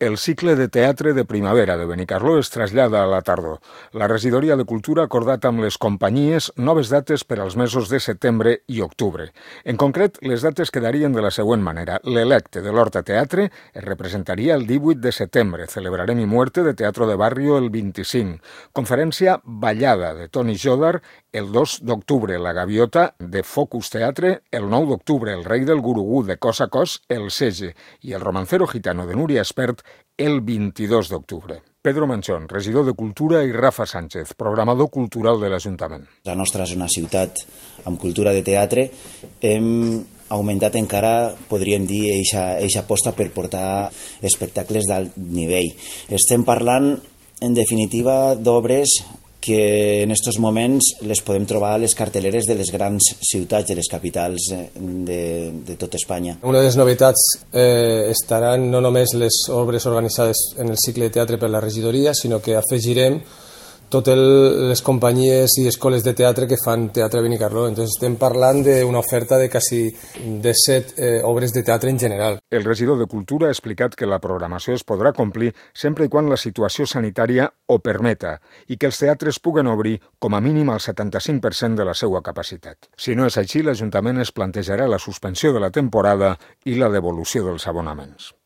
El cicle de teatre de primavera de Benicarló es trasllada a la tardor. La regidoria de Cultura ha acordat amb les companyies noves dates per als mesos de setembre i octubre. En concret, les dates quedarien de la següent manera. L'Electe de l'Horta Teatre es representaria el 18 de setembre. Celebrarem Mi Muerte de Teatro de Barrio el 25. Conferència Ballada de Toni Jodar el 2 d'octubre. La Gaviota de Focus Teatre el 9 d'octubre. El Rei del Gurugú de Cos a Cos el 16. I el Romancero Gitano de Núria Espert el 22 d'octubre. Pedro Manchón, regidor de Cultura, i Rafa Sánchez, programador cultural de l'Ajuntament. La nostra és una ciutat amb cultura de teatre. Hem augmentat encara, podríem dir, eixa aposta per portar espectacles d'alt nivell. Estem parlant, en definitiva, d'obres que en aquests moments les podem trobar a les carteleres de les grans ciutats, de les capitals de tot Espanya. Una de les novetats estaran no només les obres organitzades en el cicle de teatre per la regidoria, sinó que afegirem totes les companyies i escoles de teatre que fan teatre a Benicarló. Entonces estem parlant d'una oferta de quasi 17 obres de teatre en general. El regidor de Cultura ha explicat que la programació es podrà complir sempre i quan la situació sanitària ho permeta i que els teatres puguen obrir com a mínim el 75% de la seva capacitat. Si no és així, l'Ajuntament es plantejarà la suspensió de la temporada i la devolució dels abonaments.